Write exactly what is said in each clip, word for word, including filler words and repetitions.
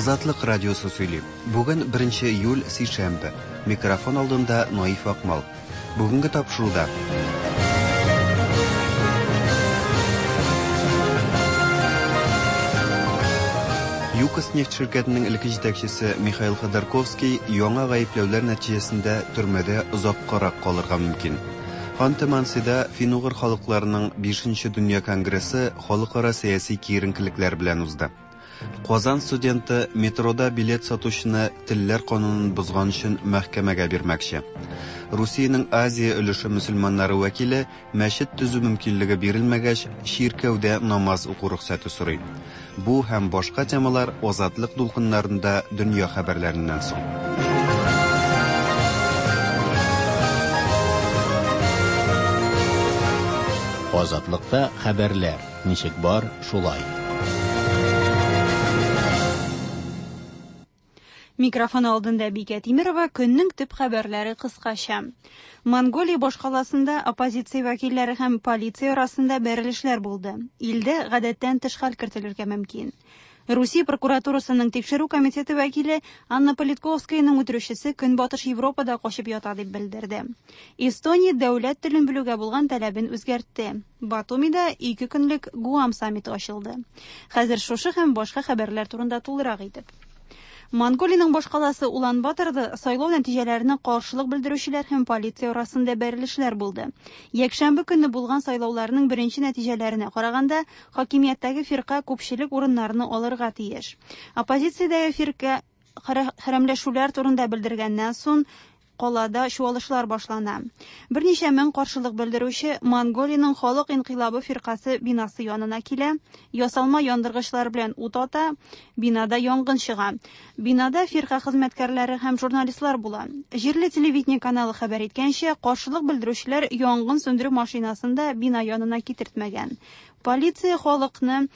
Азатлык радиосы сөйли. Бүген беренче июль, сишәмбе. Микрофон алдында Наиф Акмал. Бүгенге тапшыруда ЮКОС нефть ширкәтенең элекке җитәкчесе Михаил Ходорковский яңа гаепләүләр нәтиҗәсендә төрмәдә озаккарак калырга мөмкин. Ханты-Мансида фин-угыр халыкларының бишенче дөнья конгрессы халыкара сәяси киеренкелекләр белән узды. Казан студенты метрода билет сатучыны телләр канунын бозган өчен мәхкәмәгә бирмәкче. Русиянең Азия өлеше мөселманнары вәкиле мәчет төзү мөмкинлеге бирелмәгәч, чиркәүдә намаз уку рөхсәте сорый. Бу һәм башка темалар Азатлык дулкыннарында дөнья хәбәрләреннән соң. Азатлыкта хәбәрләр ничек бар, шулай. Микрофон алдында Бикә Тимирова, көннең төп хәбәрләре кыскача. Монголия башкаласында оппозиция вәкилләре һәм полиция арасында бәрелешләр булды. Илдә гадәттән тыш хәл кертелергә мөмкин. Русия прокуратурасының тикшерү комитеты вәкиле Анна Политковскаяның үтерүчесе Көнбатыш Европада качып ята дип белдерде. Эстония дәүләт телен белүгә булган таләбен үзгәртте. Батумида ике көнлек Гуам саммиты ачылды. Хәзер шушы һәм башка хәбәрләр турында тулырак итеп. Монголиянең башкаласы Улан-Баторда сайлау нәтиҗәләренә каршылык белдерүчеләр һәм полиция арасында бәрелешләр булды. Якшәмбе көнне булган сайлауларның беренче нәтиҗәләренә караганда, хакимияттәге фирка күпчелек урыннарны алырга тиеш. Оппозициядәге фирка хәрәмләшүләр турында белдергәннән соң калада чуалышлар башлана. Берничә мең каршылык белдерүче Монголиянең халык инкыйлабы фиркасы бинасы янына килә, ясалма яндыргычлар белән ут ата, бинада янгын чыга. Бинада фирка хезмәткәрләре һәм журналистлар була. Җирле телевидение каналы хәбәр иткәнчә, каршылык белдерүчеләр янгын сүндерү машинасын да бина янына китертмәгән. Полиция халыкны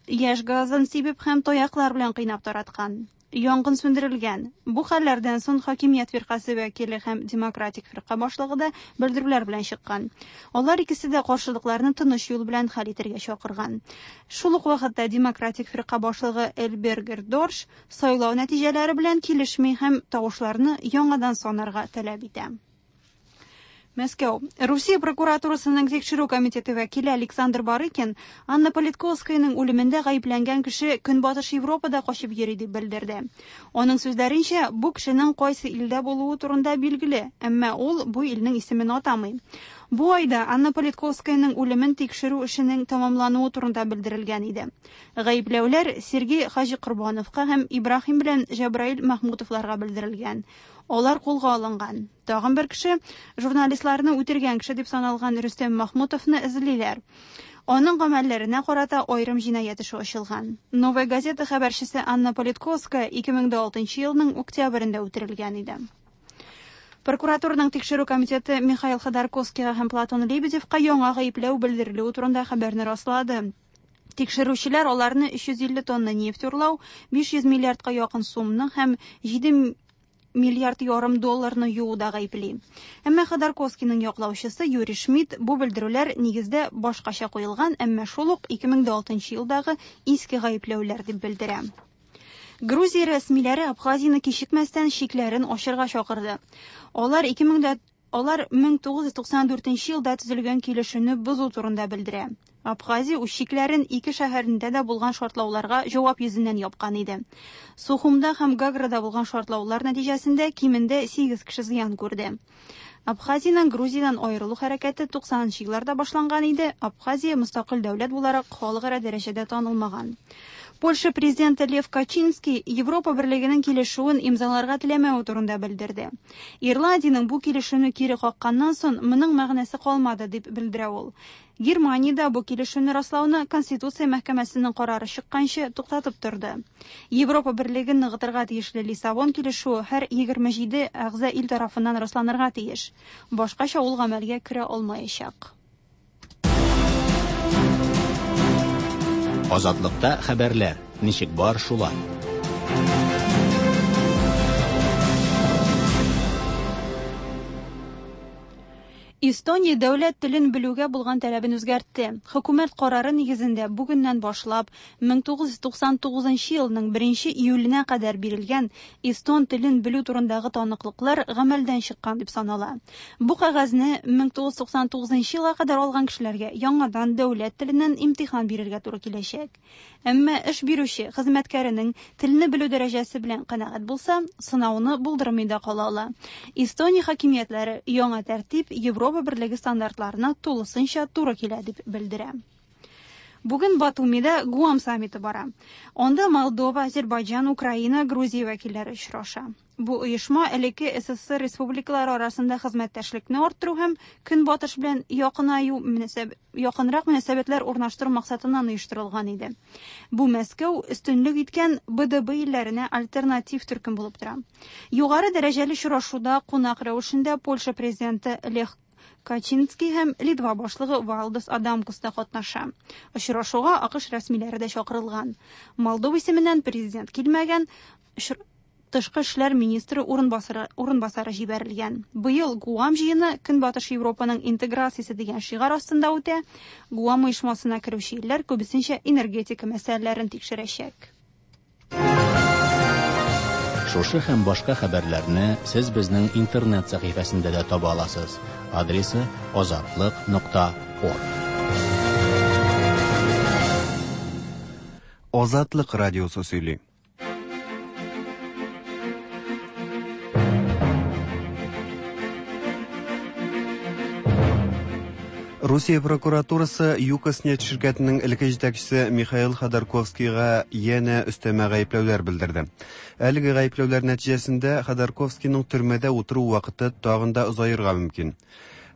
яшь газын сибеп һәм таяклар белән кыйнап тараткан. Янгын сүндерелгән. Бу хәлләрдән соң хакимият фиркасы вәкиле һәм демократик фирка башлыгы да белдерүләр белән чыккан. Алар икесе дә каршылыкларны тыныч юл белән хәл итәргә чакырган. Шул ук вакытта демократик фирка башлыгы Элбергер Дорш сайлау нәтиҗәләре белән килешми һәм тавышларны яңадан санарга таләп итә. Мәскәү. Русия прокуратурасының тикшерү комитеты вәкиле Александр Барыкин Анна Политковскаяның үлемендә гаепләнгән кеше Көнбатыш Европада качып йөри дип белдерде. Аның сүзләренчә, бу кешенең кайсы илдә булуы турында билгеле, әмма ул бу илнең исемен атамый. Бу айда Анна Политковскаяның үлемен тикшерү эшенең тәмамлануы турында белдерелгән иде. Гаепләүләр Сергей Хаҗикорбановка һәм Ибраһим белән Җабраил Махмутовларга белдерелгән. Алар кулга алынган. Тагын бер кеше журналистларны үтергән кеше дип саналган Рөстәм Махмутовны эзлиләр. Аның гамәлләренә карата аерым җинаять эше ачылган. Новая газета хәбәрчесе Анна Политковская ике мең алтынчы елның октябрендә үтерелгән иде. Прокуратураның тикшерү комитеты Михаил Ходорковскийга һәм Платон Лебедевка яңа гаепләү белдерелүе турында хәбәрне раслады. Тикшерүчеләр аларны өч йөз илле тонна нефть урлау, биш йөз миллиардка якын сумны һәм җиде миллиард ярым долларны юуда гаепли. Әмма Ходорковскийның яклаучысы Юрий Шмидт бу белдерүләр нигездә башкача куелган, әмма шул ук ике мең алтынчы елдагы иске гаепләүләр дип белдерә. Грузия рәсмиләре Абхазияны кичекмәстән чикләрен ачырга чакырды. Алар ике мең алар мең тугыз йөз туксан дүртенче елда төзелгән килешүне бозу турында белдерә. Абхазия үз чикләрен ике шәһәрендә дә булган шартлауларга җавап йөзеннән япкан иде. Сухумда һәм Гаграда булган шартлаулар нәтиҗәсендә кимендә сигез кеше зыян күрде. Абхазиянең Грузиядән аерылу хәрәкәте туксанынчы елларда башланган иде. Абхазия мөстәкыйль дәүләт буларак халыкара дәрәҗәдә танылмаган. Польша президенты Лев Качинский Европа берлегенең килешүен имзаларга теләмәве турында белдерде. Ирландиянең бу килешүне кире какканнан соң моның мәгънәсе калмады дип белдерә ул. Германиядә бу килешүне раслауны Конституция мәхкәмәсенең карары чыкканчы туктатып торды. Европа берлеген ныгытырга тиешле Лиссабон килешүе һәр егерме җиде әгъза ил тарафыннан расланырга тиеш. Башкача ул гамәлгә керә алмаячак. Азатлыкта хәбәрләр ничек бар, шулай. Эстония дәүләт телен белүгә булган таләбен үзгәртте. Хөкүмәт карары нигезендә бүгеннән башлап мең тугыз йөз туксан тугызынчы елның беренче июленә кадәр бирелгән эстон телен белү турындагы таныклыклар гамәлдән чыккан дип санала. Бу кәгазьне мең тугыз йөз туксан тугызынчы елга кадәр алган кешеләргә яңадан дәүләт теленнән имтихан бирергә туры киләчәк. Әмма эш бирүче хезмәткәренең телне белү дәрәҗәсе белән канәгать булса, сынауны булдырмый да кала ала. Эстония хакимиятләре яңа тәртип Европа Берлеге стандартларына тулысынча туры килә дип белдерә. Бүген Батумида Гуам саммиты бара. Анда Молдова, Азербайджан, Украина, Грузия вәкилләре очраша. Бу оешма элекке СССР республикалары арасында хезмәттәшлекне арттыру һәм Көнбатыш белән якынаю мөнәсәб, якынрак мөнәсәбәтләр урнаштыру максатыннан оештырылган иде. Бу Мәскәү өстенлек иткән Б Д Б илләренә альтернатив төркем булып тора. Югары дәрәҗәле очрашуда кунак рәвешендә Польша президенты Лех Качинский һәм Литва башлыгы Валдас Адамкус та катнаша. Очрашуга АКШ рәсмиләре дә чакырылган. Молдова исеменнән президент килмәгән, очр-, тышкы эшләр министры урынбасары, урынбасары җибәрелгән. Быел Гуам җыены Көнбатыш Европаның интеграциясе дигән шигарь астында үтә. Гуам оешмасына керүче илләр күбесенчә энергетика мәсьәләләрен тикшерәчәк. Шушы һәм башка хәбәрләрне сез безнең интернет сәхифәсендә дә таба аласыз. Адресы азатлык нокта орг. Азатлык радиосы сөйли. Русия прокуратурасы ЮКОС нефть ширкәтенең элекке җитәкчесе Михаил Ходорковскийга янә өстәмә гаепләүләр белдерде. Әлеге гаепләүләр нәтиҗәсендә Ходорковскийның төрмәдә утыру вакыты тагын да озаерга мөмкин.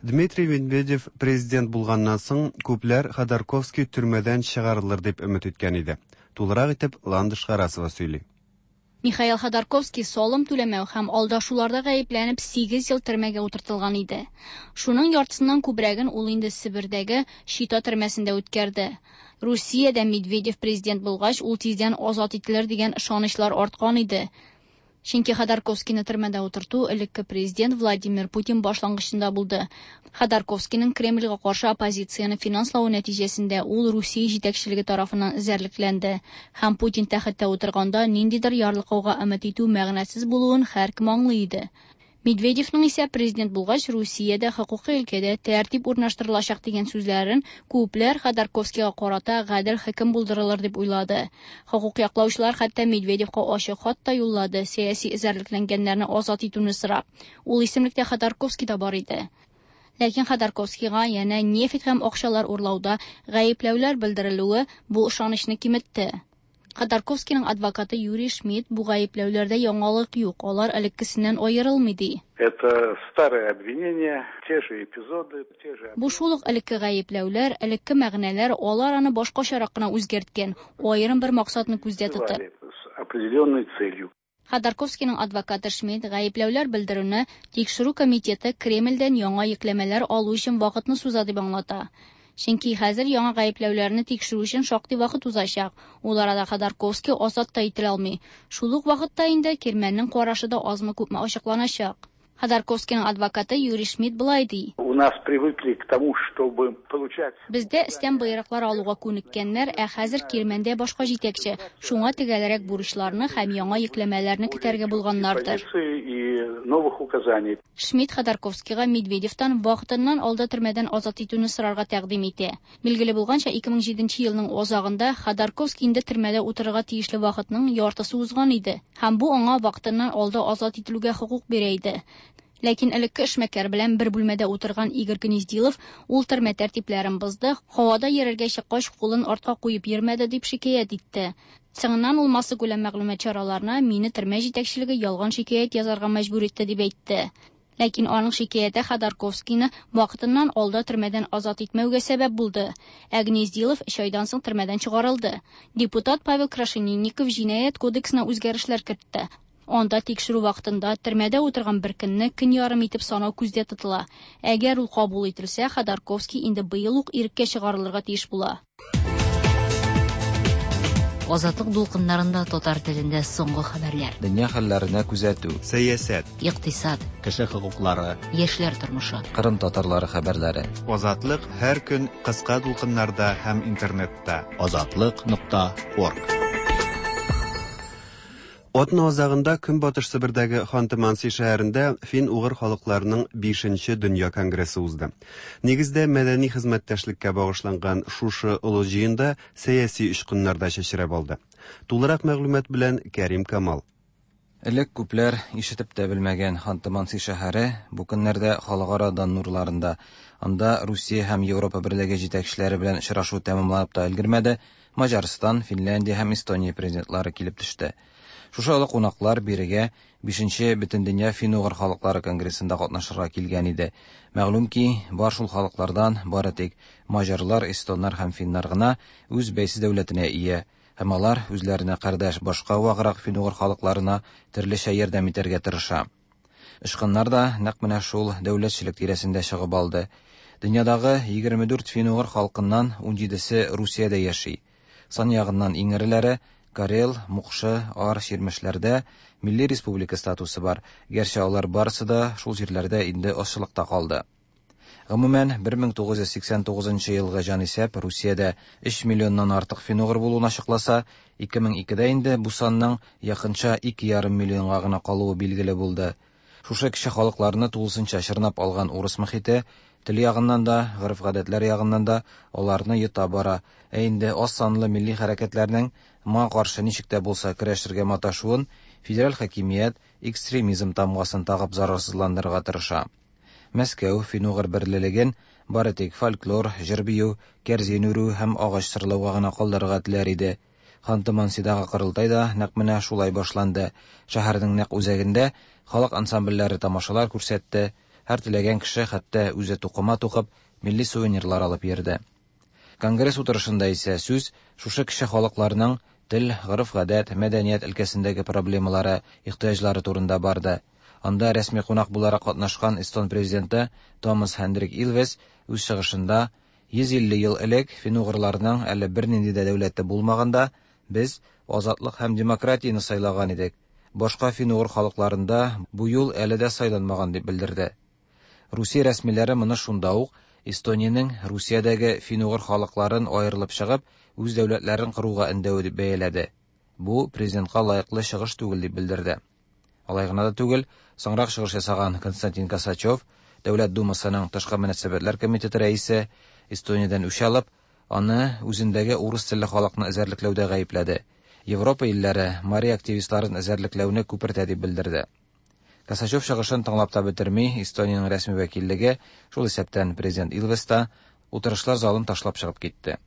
Дмитрий Медведев президент булганнан соң күпләр Ходорковский төрмәдән чыгарылыр дип өмет иткән иде. Тулырак итеп Ландыш Харасова сөйли. Михаил Ходорковский салым түләмәү һәм алдашуларда гаепләнеп сигез ел төрмәгә утыртылган иде. Шуның яртысыннан күбрәген ул инде Себердәге Чита төрмәсендә үткәрде. Русиядә Медведев президент булгач, ул тиздән азат ителер дигән ышанычлар арткан иде. Чөнки Ходорковскийны төрмәдә утырту элекке президент Владимир Путин башлангычында булды. Ходорковскийның Кремльгә каршы оппозицияне финанславы нәтиҗәсендә ул Русия җитәкчелеге тарафыннан эзәрлекләнде. Һәм Путин тәхеттә утырганда ниндидер ярлыкауга өмет итү мәгънәсез булуын һәркем аңлый иде. Медведевның исә президент булгач Русиядә хокукый өлкәдә тәртип урнаштырылачак дигән сүзләрен күпләр Ходорковскийга карата гадел хөкем булдырылыр дип уйлады. Хокук яклаучылар хәтта Медведевка ачык хат та юллады, сәяси эзәрлекләнгәннәрне азат итүне сорап. Ул исемлектә Ходорковский да бар иде. Ләкин Ходорковскийга янә нефть һәм акчалар урлауда гаепләүләр белдерелүе бу ышанычны киметте. Ходорковскийның адвокаты Юрий Шмидт бу гаепләүләрдә яңалык юк, алар элеккесеннән аерылмый ди. Это старые обвинения, те же эпизоды, те же Бу шул ук элекке гаепләүләр, элекке мәгънәләр, алар аны башкачарак кына үзгәрткән, аерым бер максатны күздә тотып. С определенной целью. Ходорковскийның адвокаты Шмидт гаепләүләр белдерүне тикшерү комитеты Кремльдән яңа йөкләмәләр алу өчен вакытны суза дип аңлата. Чөнки хәзер яңа гаепләүләрне тикшерү өчен шактый вакыт узачак. Ул арада Ходорковский азат та ителә алмый. Шул ук вакытта инде Кирмәннең карашы да азмы-күпме ачыкланачак. Ходорковскийның адвокаты Юрий Шмидт былай ди. У нас привыкли к тому, чтобы получать Бездә өстән боерыклар алуга күнеккәннәр, ә хәзер Кирмәндә башка җитәкче. Шуңа төгәлрәк бурычларны һәм яңа йөкләмәләрне көтәргә булганнардыр. Позиции и новых указаний. Шмидт Ходорковскийга Медведевтан вакытыннан алда төрмәдән азат итүне сорарга тәкъдим итә. Билгеле булганча, ике мең җиденче елның азагында Ходорковский инде төрмәдә утырырга тиешле вакытның яртысы узган иде. Һәм бу аңа вакытыннан алда азат ителүгә хокук бирә иде. Ләкин элекке эшмәкәр белән бер бүлмәдә утырган Игорь Гнездилов ул төрмә тәртипләрен бозды, һавада йөрергә чыккач кулын артка куеп йөрмәде дип шикаять итте. Соңыннан ул массакүләм мәгълүмат чараларына мине төрмә җитәкчелеге ялган шикаять язарга мәҗбүр итте дип әйтте. Ләкин аның шикаяте Ходорковскийны вакытыннан алда төрмәдән азат итмәүгә сәбәп булды. Ә Гнездилов өч айдан соң төрмәдән чыгарылды. Депутат Павел Крашенинников җинаять кодексына үзгәрешләр кертте. Анда тикшерү вакытында төрмәдә утырган бер көнне көн ярым итеп санау күздә тотыла. Әгәр ул кабул ителсә, Ходорковский инде быел ук иреккә чыгарылырга тиеш була. Азатлык дулкыннарында татар телендә соңгы хәбәрләр. Дөнья хәлләренә күзәтү. Сәясәт. Икътисад. Кеше хокуклары. Яшьләр тормышы. Кырым татарлары хәбәрләре. Азатлык һәр көн кыска дулкыннарда һәм интернетта. Азатлык нокта орг. Атна азагында Көнбатыш Себердәге Ханты-Манси шәһәрендә фин-угыр халыкларының бишенче дөнья конгрессы узды. Нигездә мәдәни хезмәттәшлеккә багышланган шушы олы җыенда сәяси очкыннар да чәчрәп алды. Тулырак мәгълүмат белән Кәрим Камал. Элек күпләр ишетеп тә белмәгән Ханты-Манси шәһәре бу көннәрдә халыкара дан нурларында. Анда Русия һәм Европа берлеге җитәкчеләре белән очрашу тәмамланып та өлгермәде, Маҗарстан, Финляндия һәм Эстония президентлары килеп төште. Шушы олы кунаклар бирегә бишенче Бөтендөнья фин-угыр халыклары конгрессында катнашырга килгән иде. Мәгълүм ки, бар шул халыклардан бары тик маҗарлар, эстоннар һәм финнар гына үз бәйсез дәүләтенә ия, һәм алар үзләренә кардәш башка ваграк фин-угыр халыкларына төрлечә ярдәм итәргә тырыша. Очкыннар да нәкъ менә шул дәүләтчелек тирәсендә чыгып алды. Дөньядагы егерме дүрт фин-угыр халкыннан ун җидесе Русиядә яши. Сан ягыннан иң эреләре Карел, Мукшы, Ар, Чирмешләрдә милли республика статусы бар, гәрчә алар барысы да шул җирләрдә инде азчылыкта калды. Гомумән, бер мең тугыз йөз сиксән тугызынчы елгы җанисәп Русиядә өч миллионнан артык фин-угыр булуын ачыкласа, ике мең икедә инде бу санның якынча ике ярым миллионга гына калуы билгеле булды. Шушы кече халыкларны тулысынча чорнап алган урыс мохите тел ягыннан да, гореф-гадәтләр ягыннан да аларны йота бара. Ә инде аз санлы милли хәрәкәтләрнең моңа каршы ничек тә булса көрәшергә маташуын федераль хакимият экстремизм тамгасын тагып зарарсызландырырга тырыша. Мәскәү фин-угыр берлелеген бары тик фольклор, җыр-бию, кәрзин үрү һәм агач сырлауга гына калдырырга теләр иде. Ханты-Мансидагы корылтай да нәкъ менә шулай башланды. Шәһәрнең нәкъ үзәгендә халык ансамбльләре тамашалар күрсәтте. Һәр теләгән кеше хәтта үзе тукыма тукып милли сувенирлар алып йөрде. Конгресс утырышында исә сүз шушы кеше халыкларының тел, гореф-гадәт, мәдәният өлкәсендәге проблемалары, ихтыяҗлары турында барды. Анда рәсми кунак буларак катнашкан Эстон президенты Томас Хендрик Илвес үз чыгышында йөз илле ел элек фин-угырларның әле бернинди дә дәүләте булмаганда без азатлык һәм демократияне сайлаган идек. Башка фин-угыр халыкларында бу юл әле дә сайланмаган дип белдерде. Русия рәсмиләре моны шунда ук Эстониянең Русиядәге фин-угыр халыкларын аерылып чыгып, үз дәүләтләрен коруга өндәве дип бәяләде. Бу президентка лаеклы чыгыш түгел дип белдерде. Алай гына да түгел, соңрак чыгыш ясаган Константин Косачев, Дәүләт Думасының тышкы мөнәсәбәтләр комитеты рәисе, Эстониядән үч алып, аны үзендәге урыс телле халыкны эзәрлекләүдә гаепләде. Европа илләре мари активистларын эзәрлекләүне күпертә дип белдерде. Косачев чыгышын тыңлап та бетерми, Эстониянең рәсми вәкиллеге, шул исәптән президент Илвес та, утырышлар залын ташлап чыгып китте.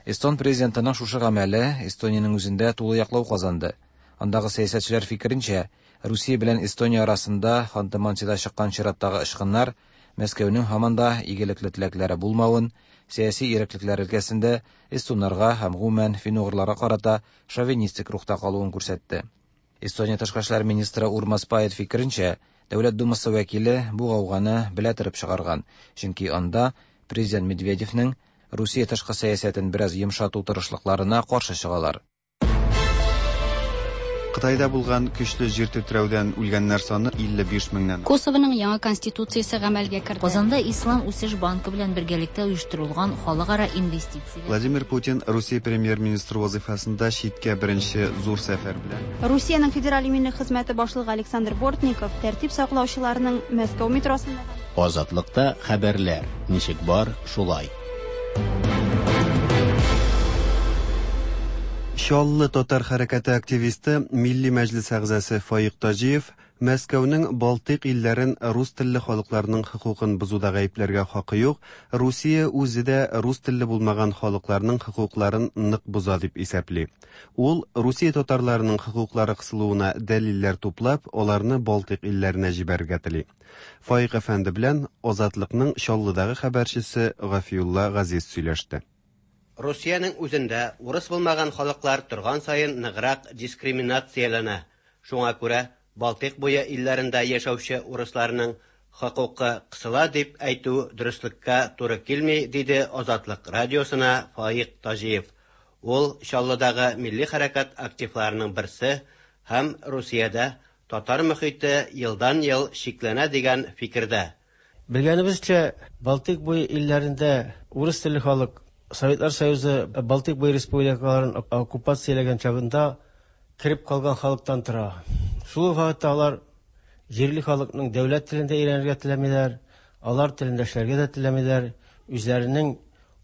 Эстон президентының шушы гамәле Эстониянең үзендә тулы яклау казанды. Андагы сәясәтчеләр фикеренчә, Русия белән Эстония арасында Ханты-Мансида чыккан чираттагы очкыннар Мәскәүнең һаман да игелекле теләкләре булмавын, сәяси иреклекләр өлкәсендә эстоннарга һәм гомумән фин-угырларга карата шовинистик рухта калуын күрсәтте. Эстония тышкы эшләр министры Урмас Пает фикеренчә, Дәүләт Думасы вәкиле бу гауганы белә торып чыгарган, чөнки анда президент Медведевнең Русия тышкы сәясәтен бераз йомшату тырышлыкларына каршы чыгалар. Кытайда булган көчле җир тетрәүдән үлгәннәр саны илле биш меңнән. Косовоның яңа конституциясе гамәлгә керде. Казанда Ислам үсеш банкы белән бергәлектә оештырылган халыкара инвестиция. Владимир Путин Русия премьер-министры вазифасында читкә беренче зур сәфәр белән. Русиянең федераль иминлек хезмәте башлыгы Александр Бортников тәртип саклаучыларның Мәскәү метросында Азатлыкта хәбәрләр ничек бар шулай. Чаллы татар хәрәкәте активисты, Милли Мәҗлис әгъзасы Фаик Таҗиев Мәскәүнең Балтыйк илләрен рус телле халыкларның хокукын бозуда гаепләргә хакы юк, Русия үзе дә рус телле булмаган халыкларның хокукларын нык боза дип исәпли. Ул Русия татарларының хокуклары кысылуына дәлилләр туплап, аларны Балтыйк илләренә җибәрергә тели. Фаик әфәнде белән Азатлыкның Чаллыдагы хәбәрчесе Гафиулла Газиз сөйләште. Русиянең үзендә урыс булмаган халыклар торган саен ныграк дискриминацияләнә. Шуңа күрә Балтыйк буе илләрендә яшәүче урысларның хокукы кысыла дип әйтү дөреслеккә туры килми, диде Азатлык радиосына Фаик Таҗиев. Ул Чаллыдагы милли хәрәкәт активларының берсе һәм Русиядә татар мөхите елдан-ел чикләнә дигән фикердә. Белгәнебезчә, Балтыйк буе илләрендә урыс телле халык Советлар Союзы Балтыйк буе республикаларын оккупацияләгән чагында кереп калган халыктан тора. Шул ук вакытта алар җирле халыкның дәүләт телендә өйрәнергә теләмиләр, алар телендә эшләргә дә теләмиләр, үзләренең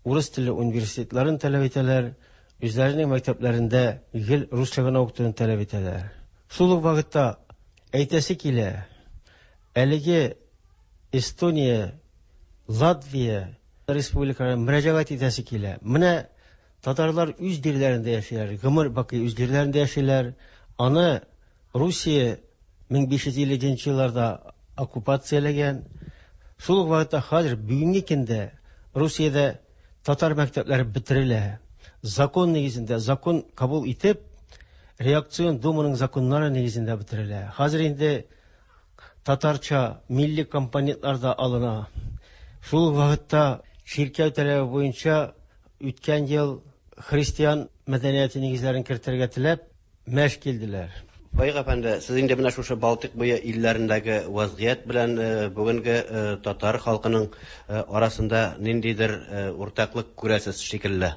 урыс телле университетларын таләп итәләр, үзләренең мәктәпләрендә гел русча гына укытуны таләп итәләр. Шул ук вакытта әйтәсе килә, әлеге Эстония, Латвия республикаларына мөрәҗәгать итәсе килә. Менә татарлар үз җирләрендә яшиләр, гомер бакый үз җирләрендә яшиләр. Аны Русия мең биш йөз илленче елларда оккупацияләгән. Шул ук вакытта хәзер бүгенге көндә Русиядә татар мәктәпләре бетерелә. Закон нигезендә, закон кабул итеп, реакцион думаның законнары нигезендә бетерелә. Хәзер инде татарча милли компонентлар да алына. Шул ук вакытта чиркәү таләбе буенча үткән ел христиан мәдәнияте нигезләрен кертергә теләп мәш килделәр. Фаик әфәнде, сез инде менә шушы Балтыйк буе илләрендәге вазгыять белән бүгенге татар халкының арасында ниндидер уртаклык күрәсез шикелле.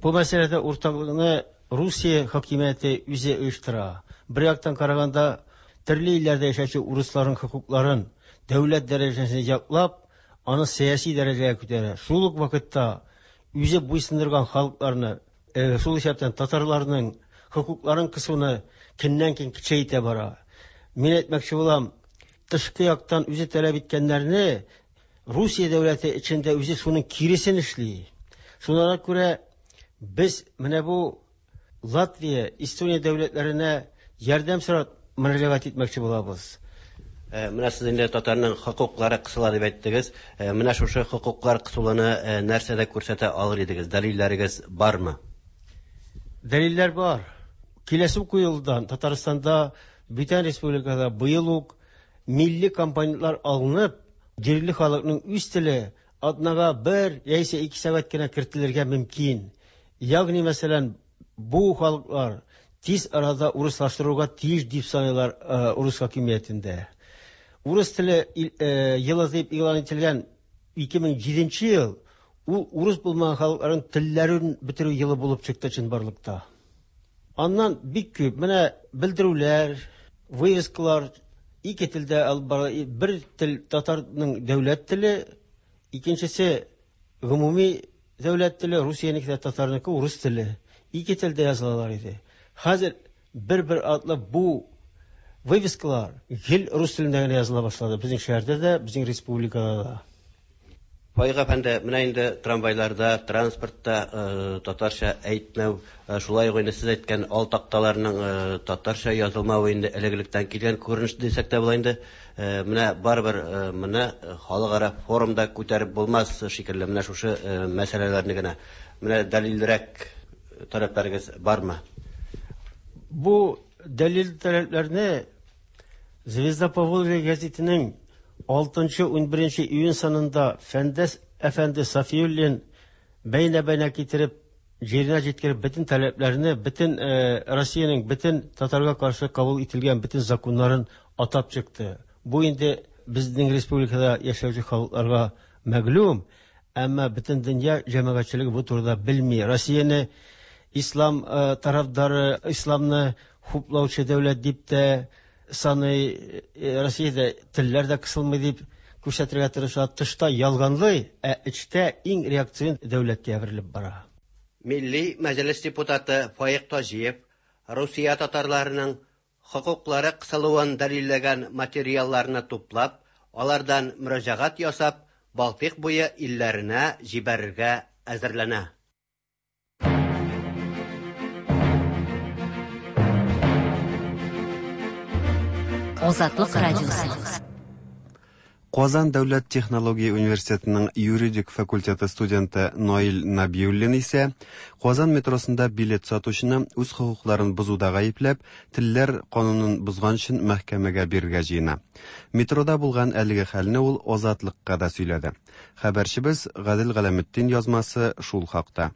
Бу мәсьәләдә уртаклыкны Русия хакимияте үзе оештыра. Бер яктан караганда, төрле илләрдә яшәүче урысларның хокукларын дәүләт дәрәҗәсендә яклап, аны сәяси дәрәҗәгә күтәрә. Шул ук вакытта үзе буйсындырган халыкларны, шул исәптән татарларның хокукларын кысуны көннән-көн көчәйтә бара. Мин әйтмәкче булам, тышкы яктан үзе таләп иткәннәрне Русия дәүләте эчендә үзе шуның киресен эшли. Шуңа күрә без менә бу Латвия, Эстония дәүләтләренә ярдәм сорап мөрәҗәгать итмәкче булабыз. Менә сез инде татарның хокуклары кысыла дип әйттегез. Менә шушы хокуклар кысылуны нәрсәдә күрсәтә алыр идегез? Дәлилләрегез бармы? Дәлилләр бар. Киләсе уку елдан Татарстанда, бүтән республикада быел ук милли компонентлар алынып, җирле халыкның үз теле атнага бер яисә ике сәгать кенә кертелергә мөмкин. Ягъни, мәсәлән, бу халыклар тиз арада урыслаштыруга тиеш дип саныйлар урыс хакимиятендә. Урыс теле елы дип игълан ителгән ике мең җиденче ел ул урыс булмаган халыкларның телләрен бетерү елы булып чыкты чынбарлыкта. Аннан бик күп менә белдерүләр, вывескалар ике телдә алып бара. Бер тел татарның дәүләт теле, икенчесе гомуми дәүләт теле, Русиянеке дә татарныкы урыс теле. Ике телдә язылалар иде. Хәзер бер-бер атлы бу вывескалар гел рус телендә генә языла башлады. Безнең шәһәрдә дә, безнең республикада да. Фаик әфәнде, менә инде трамвайларда, транспортта татарча әйтмәү, шулай ук инде сез әйткән ал такталарның татарча язылмавы инде элек-электән килгән күренеш дисәк тә була инде. Менә барыбер моны халыкара форумда күтәреп булмас шикелле, менә шушы мәсьәләләрне генә. Менә дәлилрәк таләпләрегез бармы? Бу дәлил таләпләрне Звезда Поволжья гәзитенең алтынчы унберенче июнь санында Фәндәс әфәнде Сафиуллин бәйнә-бәйнә китереп, җиренә җиткереп бөтен таләпләрне, бөтен Россиянең бөтен татарга каршы кабул ителгән бөтен законнарын атап чыкты. Бу инде безнең республикада яшәүче халыкларга мәгълүм, әмма бөтен дөнья җәмәгатьчелеге бу турыда белми. Россияне ислам тарафдары, исламны хуплаучы дәүләт дип тә саный, Россиядә телләр дә кысылмый дип күрсәтергә тырыша. Тышта ялганлый, ә эчтә иң реакцион дәүләткә әверелеп бара. Милли Мәҗлес депутаты Фаик Таҗиев Русия татарларының хокуклары кысылуын дәлилләгән материалларны туплап, алардан мөрәҗәгать ясап, Балтыйк буе илләренә җибәрергә әзерләнә. Азатлык радиосы. Казан дәүләт технология университетының юридик факультеты студенты Наил Набиуллин исә Казан метросында билет сатучыны үз хокукларын бозуда гаепләп, телләр канунын бозган өчен мәхкәмәгә бирергә җыена. Метрода булган әлеге хәлне ул Азатлыкка да сөйләде. Хәбәрчебез Гадел Галәметдин язмасы шул хакта.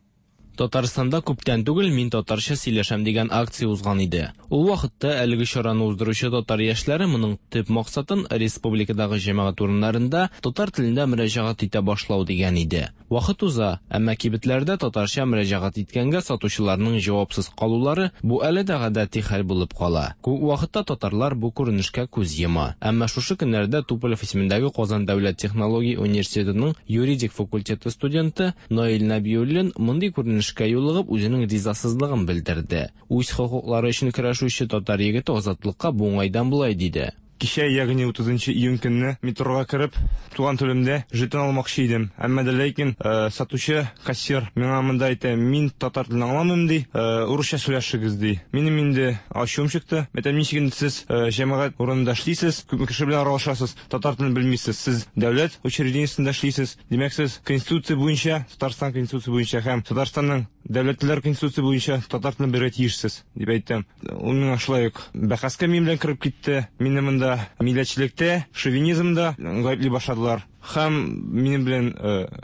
Татарстанда күптән түгел «Мин татарча сөйләшәм» дигән акция узган иде. Ул вакытта әлеге чараны уздыручы татар яшьләре моның төп максатын республикадагы җәмәгать урыннарында татар телендә мөрәҗәгать итә башлау дигән иде. Вакыт уза, әмма кибетләрдә татарча мөрәҗәгать иткәнгә сатучыларның җавапсыз калулары бу әле дә гадәти хәл булып кала. Күп вакытта татарлар бу күренешкә күз йома. Әмма шушы көннәрдә Туполев исемендәге Казан дәүләт технология университетының юридик факультеты студенты Наил Нәбиуллин мондый күренешкә юлыгып үзенең ризасызлыгын белдерде. Үз хокуклары өчен көрәшүче татар егете Азатлыкка бу уңайдан болай диде. Кичә, ягъни утызынчы июнь көнне метрога кереп, туган телемдә жетон алмакчы идем. Әмма дә ләкин э, сатучы, кассир миңа монда әйтә, мин татар телен аңламыйм ди, э, урысча сөйләшегез ди. Минем инде ачуым чыкты. Әйтәм, ничек инде сез э, җәмәгать урынында эшлисез, күпме кеше белән аралашасыз, татар телен белмисез. Сез дәүләт учреждениесендә эшлисез. Димәк, сез конституция буенча, Татарстан конституция буенча һәм Татарстанның дәүләтләр конституция буенча татар телен белергә тиешсез, дип әйттем. Ул миңа шулай ук бәхәскә минем белән кереп китте. Мине монда милләтчелектә, шовинизмда гаепли башладылар. Һәм минем белән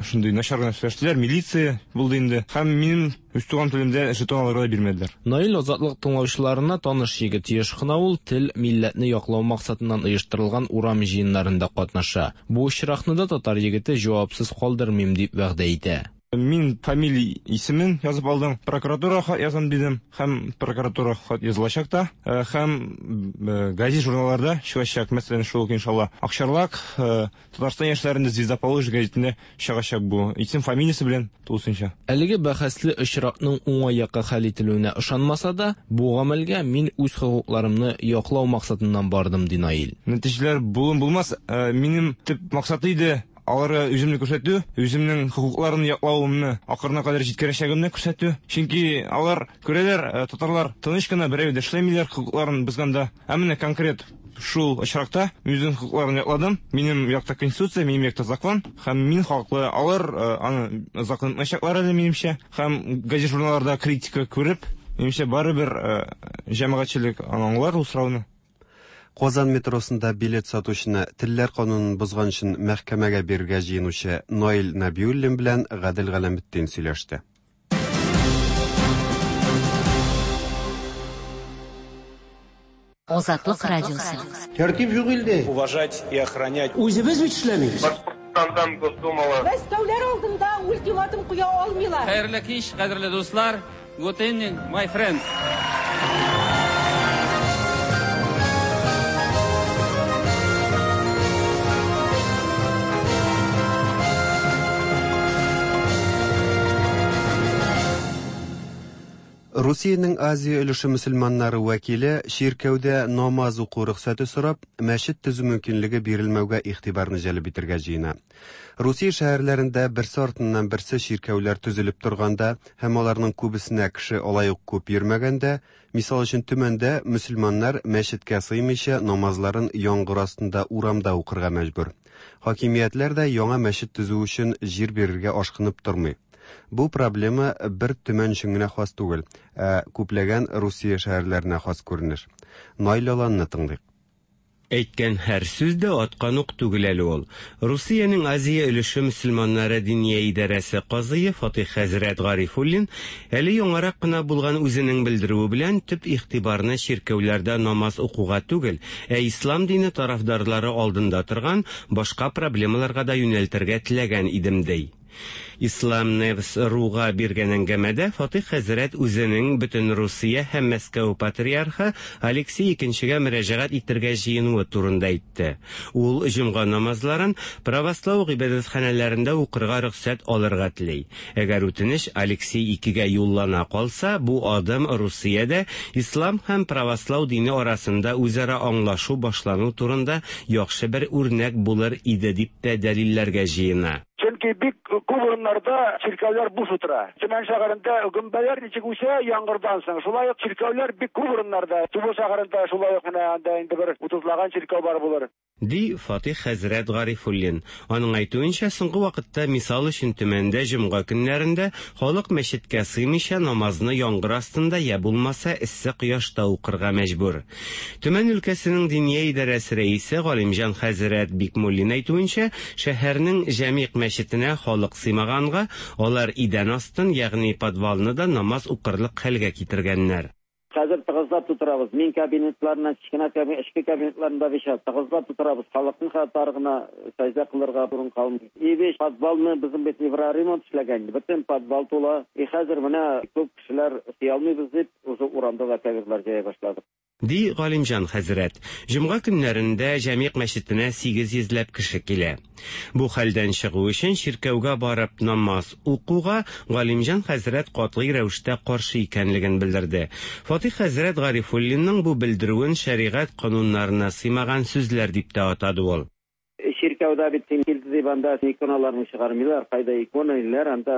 шундый начар гына сөйләштеләр, милиция булды инде. Һәм минем үз туган телемдә жетон алырга да бирмәделәр. Наил Азатлык тыңлаучыларына таныш егет. Еш кына ул тел, милләтне яклау максатыннан оештырылган урам җыеннарында катнаша. Бу очракны да татар егете җавапсыз калдырмыйм дип вәгъдә итә. Мин фамилия исемен язып алдым, прокуратура хат язам дидем, һәм прокуратура хат язылачак та, һәм газет журналларда чыгачак, мәсәлән, шул ук иншалла Акчарлак, Татарстан яшьләрендә Звезда Поволжья гәзитендә чыгачак бу. Исем фамилиясе белән тулысынча. Әлеге бәхәсле очракның уңай якка хәл ителүенә ышанмаса да, бу гамәлгә мин үз хокукларымны яклау максатыннан бардым, ди Наил. Нәтиҗәләр булын булмас, минем төп максат иде аларга үземне күрсәтү, үземнең хокукларын яклавымны ахырына кадәр җиткерәчәгемне күрсәтү. Чөнки алар күрәләр, татарлар тыныч кына берәү дә эшләмиләр хокукларын бозганда. Ә менә конкрет шул очракта үземнең хокукларын якладым. Минем якта конституция, минем якта закон, һәм мин хаклы. Алар аны закон итмәячәкләр әле минемчә. Һәм газет журналларда критика күреп, минемчә барыбер җәмәгатьчелек аңлар ул сорауны. Казан метросында билет сатучыны телләр канунын бозган өчен мәхкәмәгә бирергә җыенучы Наил Нәбиуллин белән Гадел Галәметдин сөйләште. Азатлык радиосы. Тәртип юк илдә. Уважать и охранять. Үзебез бит эшләмибез. Башкортстандан Госдумала. Мәскәүләр алдында ультиматум куя алмыйлар. Хәерле кич, кадерле дуслар. Good evening, my friends. Русиянең Азия өлеше мөселманнары вәкиле чиркәүдә намаз уку рөхсәте сорап, мәчет төзү мөмкинлеге бирелмәүгә игътибарны җәлеп итәргә җыена. Русия шәһәрләрендә берсе артыннан берсе чиркәүләр төзелеп торганда һәм аларның күбесенә кеше алай ук күп йөрмәгәндә, мисал өчен Төмәндә мөселманнар мәчеткә сыймыйча намазларын яңгыр астында урамда укырга мәҗбүр. Хакимиятләр дә яңа мәчет төзү өчен җир бирергә ашкынып тормый. Бу проблема бер Төмән өчен генә хас түгел, ә күпләгән Русия шәһәрләренә хас күренеш. Наил Аланны тыңлыйк. Әйткән һәр сүз дә аткан ук түгел әле ул. Русиянең Азия өлеше мөселманнары диния идарәсе казые Фатих хәзрәт Гарифуллин әле яңарак кына булган үзенең белдерүе белән төп игътибарны чиркәүләрдә намаз укуга түгел, ә ислам дине тарафдарлары алдында торган башка проблемаларга да юнәлтергә теләгән идем ди. Ислам Невс Руга биргән әңгәмәдә Фатих хәзрәт үзенең бөтен Русия һәм Мәскәү патриархы Алексей икенчегә мөрәҗәгать итәргә җыенуы турында әйтте. Ул җомга намазларын православ гыйбадәтханәләрендә укырга рөхсәт алырга тели. Әгәр үтенеч Алексей икегә юллана калса, бу адым Русиядә ислам һәм православ дине арасында үзара аңлашу башлану турында яхшы бер үрнәк булыр иде дип тә дәлилләргә җыена. Чөнки бик күп урыннарда чиркәүләр буш утыра. Төмән шәһәрендә гөмбәләр ничек үсә яңгырдан соң, шулай ук чиркәүләр бик күп урыннарда. Тубыл шәһәрендә шулай ук менә анда инде бер утызлаган чиркәү бар булыр. Ди Фатих хәзрәт Гарифуллин. Аның әйтүенчә, соңгы вакытта мисал өчен Төмәндә җомга көннәрендә халык мәчеткә сыймыйча намазны яңгыр астында я булмаса эссе кояшта укырга мәҗбүр. Төмән өлкәсенең диния идарәсе рәисе Галимҗан хәзрәт Бикмуллин әйтүенчә, шәһәрнең Җәмигъ мәчетенә халык сыймаганга, алар идән астын, ягъни подвалны да намаз укырлык хәлгә китергәннәр. Хәзер тыгызлап тутырабыз. Мин кабинетларына, кечкенә кабинет, эчке кабинетларында биш тыгызлап тутырабыз. Халыкның хәтта гына сәҗдә кылырга урын калмый. И биш подвалны безнең бит евроремонт эшләгән. Бөтен подвал тула. И хәзер менә күп кешеләр сыя алмыйбыз дип, уже урамда да коверлар җәя башладык. Ди Галимҗан хәзрәт. Җомга көннәрендә Җәмигъ мәчетенә сигез йөзләп кеше килә. Бу хәлдән чыгу өчен чиркәүгә барып намаз укуга Галимҗан хәзрәт катгый рәвештә каршы икәнлеген белдерде. Фатих хәзрәт Гарифуллинның бу белдерүен шәригать кануннарына сыймаган сүзләр дип тә атады ул. Чиркәүдә бит килде дип анда иконаларны чыгармыйлар, кайда икона иләр, анда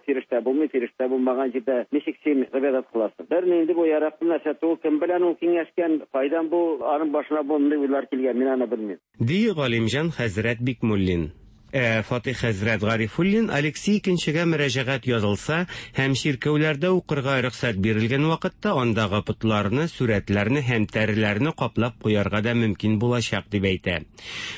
фирештә булмый, фирештә булмаган җирдә ничек син гыйбадәт кыласың? Бер инде бу яраклы нәрсә түгел, кем белән ул киңәшкән, кайдан бу аның башына мондый уйлар килгән, мин аны белмим. Ди Галимҗан хәзрәт Бикмуллин. Ә Фатих хәзрәт Гарифуллин Алексей икенчегә мөрәҗәгать язылса һәм чиркәүләрдә укырга рөхсәт бирелгән вакытта андагы потларны, сурәтләрне һәм тәреләрне каплап куярга да мөмкин булачак дип әйтә.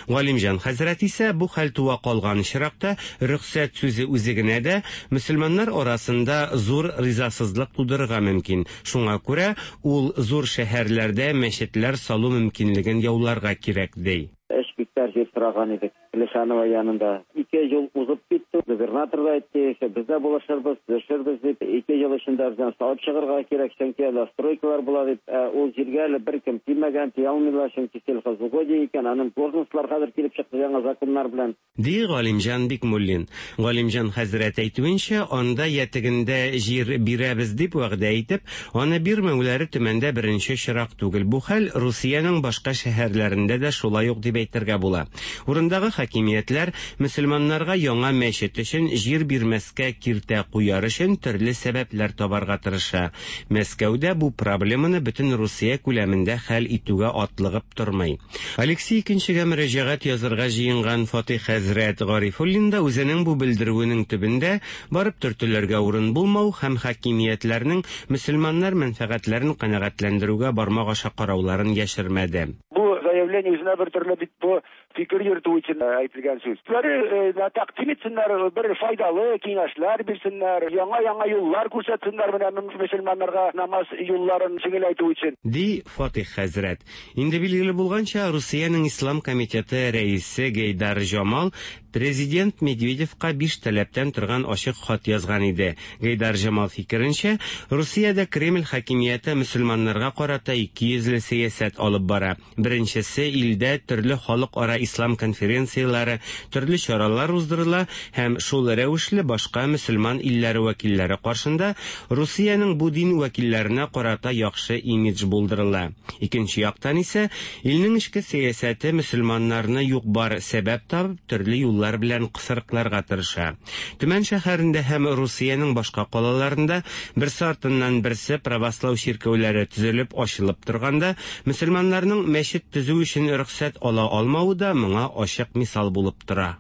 Галимҗан хәзрәт исә бу хәл туа калган очракта рөхсәт сүзе үзе генә дә мөселманнар арасында зур ризасызлык тудырырга мөмкин. Шуңа күрә ул зур шәһәрләрдә мәчетләр салу мөмкинлеген яуларга кирәк ди. Өч гектар җир сораган идек Лешанова янында. Ике ел узып китте. Губернатор да әйтте, без дә булышырбыз, төшербез дип. Ике ел эчендә бездән салып чыгарга кирәк, чөнки әле стройкалар була дип. Ул җиргә әле беркем тимәгән, тия алмыйлар, чөнки сельхозугодие икән, аның должностьлар хәзер килеп чыкты яңа законнар белән. Ди Галимҗан Бикмуллин. Галимҗан хәзрәт әйтүенчә, анда ятегендә җир бирәбез дип вәгъдә итеп, аны бирмәүләре Төмәндә беренче чирак түгел. Бу хәл Русиянең башка шәһәрләрендә дә шулай ук дип әйтергә була. Урындагы хакимиятләр мөселманнарга яңа мәчет өчен җир бирмәскә киртә куяр өчен төрле сәбәпләр табарга тырыша. Мәскәүдә бу проблеманы бөтен Русия күләмендә хәл итүгә атлыгып тормый. Алексей икенчегә мөрәҗәгать язырга җыенган Фатих хәзрәт Гарифуллин да үзенең бу белдерүенең төбендә барып төртелергә урын булмау һәм хакимиятләрнең мөселманнар мәнфәгатьләрен канәгатьләндерүгә бармак аша карауларын яшермәде. Бу заявление үзенә бер төрле бит бу фикер йөртү өчен әйтелгән сүз. Үзләре тәкъдим итсеннәр, бер файдалы киңәшләр бирсеннәр, яңа-яңа юллар күрсәтсеннәр менә мөселманнарга намаз юлларын җиңеләйтү өчен. Ди Фатих хәзрәт. Инде билгеле булганча, Русиянең Ислам комитеты рәисе Гейдар Җамал президент Медведевка биш таләптән торган ачык хат язган иде. Гейдар Җамал фикеренчә, Русиядә Кремль хакимияте мөселманнарга карата ике йөзле сәясәт алып бара. Беренчесе, илдә төрле халыкара ислам конференцияләре, төрле чаралар уздырыла һәм шул рәвешле башка мөселман илләре вәкилләре каршында Русиянең бу дин вәкилләренә карата яхшы имидж булдырыла. Икенче яктан исә, илнең эчке сәясәте мөселманнарны юк-бар сәбәп табып төрле юллар белән кысрыкларга тырыша. Төмән шәһәрендә һәм Русиянең башка калаларында берсе артыннан берсе православ чиркәүләре төзелеп ачылып торганда, мөселманнарның мәчет төзү өчен рөхсәт ала алмавы да моңа ачык мисал булып тора.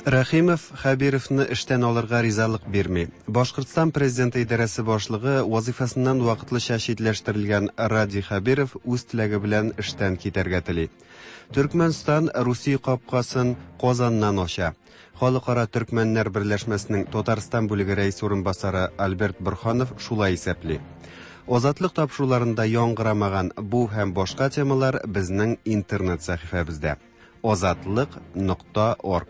Рәхимов Хәбировны эштән алырга ризалык бирми. Башкортстан президенты идарәсе башлыгы вазифасыннан вакытлыча читләштерелгән Радий Хәбиров үз теләге белән эштән китәргә тели. Төркмәнстан Русия капкасын Казаннан ача. Халыкара Төркмәннәр берләшмәсенең Татарстан бүлеге рәисе урынбасары Альберт Бурханов шулай исәпли. Азатлык тапшыруларында яңгырамаган бу һәм башка темалар безнең интернет сәхифәбездә. азатлык нокта орг.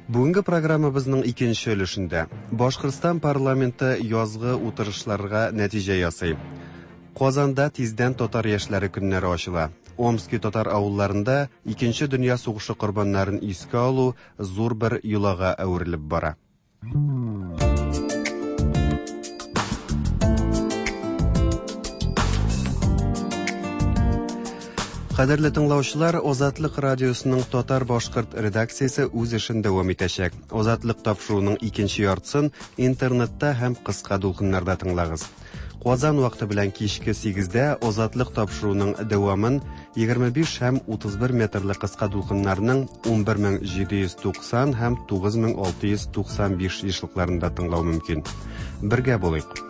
Бүгенге программабызның икенче өлешендә Башкортстан парламенты язгы утырышларга нәтиҗә ясый. Казанда тиздән татар яшьләре көннәре ачыла. Омски татар авылларында икенче дөнья сугышы корбаннарын искә алу зур бер йолага әверелеп бара. Кадерле тыңлаучылар, Азатлык радиосының татар-башкорт редакциясе үз эшен дәвам итәчәк. Азатлык тапшыруының икенче яртысын интернетта һәм кыска дулкыннарда тыңлагыз. Казан вакыты белән кичке сигездә Азатлык тапшыруының дәвамын егерме биш һәм утыз бер метрлы кыска дулкыннарның ун бер мең җиде йөз туксан һәм тугыз мең алты йөз туксан биш ешлыкларында тыңлау мөмкин. Бергә булыйк.